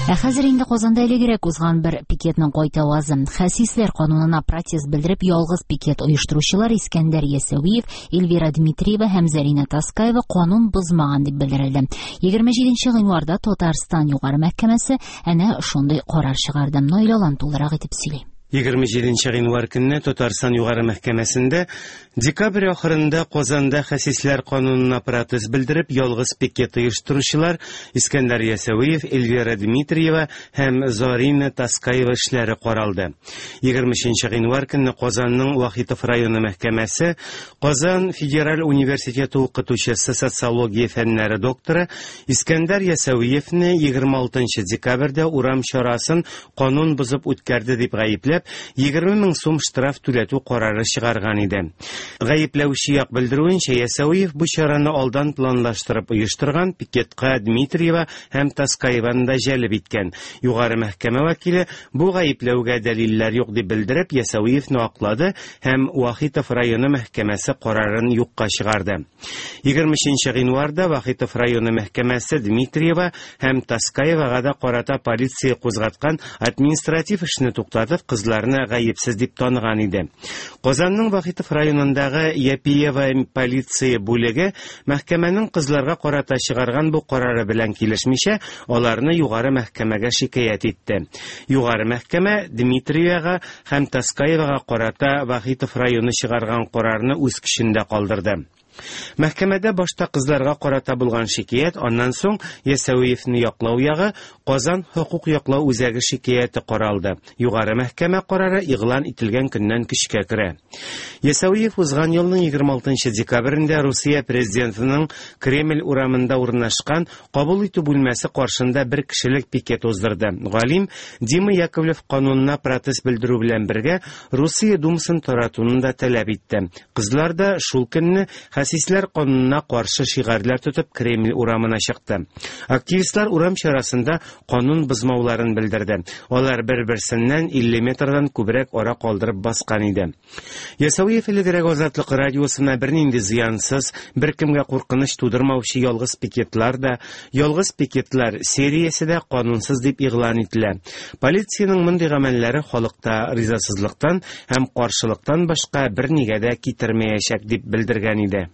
Ә хәзер инде Казанда элегрәк узган бер пикетның кайтавазы. Хәсисләр канунына протест белдереп ялгыз пикет оештыручылар Искәндәр Ясәвиев, Эльвира Дмитриева һәм Зарина Таскаева канун бозмаган дип белдерелде. 27 гыйнварда Татарстан Югары мәхкәмәсе әнә шундый карар чыгарды. Наил Алан тулырак итеп сөйли. 27 гыйнвар көнне Татарстан Югары мәхкәмәсендә декабрь ахырында Казанда хәсисләр канунына протест белдереп ялгыз пикет оештыручылар Искәндәр Ясәвиев, Эльвира Дмитриева һәм Зарина Таскаева эшләре каралды. 23 гыйнвар көнне Казанның Вахитов районы мәхкәмәсе Казан федераль университеты укытучысы социология фәннәре докторы Искәндәр Ясәвиевне 26 декабрьдә урам чарасын канун бозып үткәрде дип гаепләп, 20 мең сум штраф түләтү карары чыгарган иде. Гаепләүче як белдерүенчә, Ясәвиев бу чараны алдан планлаштырып оештырган, пикетка Дмитриева һәм Таскаеваны да җәлеп иткән. Югары мәхкәмә вәкиле бу гаепләүгә дәлилләр юк дип белдереп, Ясәвиевне аклады һәм Вахитов районы мәхкәмәсе карарын юкка чыгарды. 23 гыйнварда Вахитов районы мәхкәмәсе Дмитриева һәм Таскаевага да карата полиция кузгаткан административ эшне туктатып, кызларны гаепсез дип таныган иде. Казанның Вахитов районындагы Япиева полиция бүлеге мәхкәмәнең кызларга карата чыгарган бу карары белән килешмичә, аларны югары мәхкәмәгә шикаять итте. Югары мәхкәмә Дмитриевага һәм Таскаевага карата Вахитов районы чыгарган карарны үз көчендә калдырды. Мәхкәмәдә башта кызларга карата булган шикаять, аннан соң Ясәвиевне яклау ягы Казан хокук яклау үзәге шикаяте каралды. Югары мәхкәмә карары игълан ителгән көннән көчкә керә. Ясәвиев узган елның 26 декабрендә Русия президентының Кремль урамында урнашкан кабул итү бүлмәсе каршында бер кешелек пикет уздырды. Галим Дима Яковлев канунына протест белдерү белән бергә Русия Думасын таратуны да таләп итте. Кызлар да шул көнне хәсисләр канунына каршы шигарьләр тотып Кремль урамына чыкты. Активистлар урам чарасында канун бозмауларын белдерде. Алар бер-берсеннән 50 метрдан күбрәк ара калдырып баскан иде. Ясәвиев элегрәк Азатлык радиосына бернинди зыянсыз, беркемгә куркыныч тудырмаучы ялгыз пикетлар да, ялгыз пикетлар сериясе дә канунсыз дип игълан ителә. Полициянең мондый гамәлләре халыкта ризасызлыктан һәм каршылыктан башка бернигә дә китермәячәк дип белдергән иде.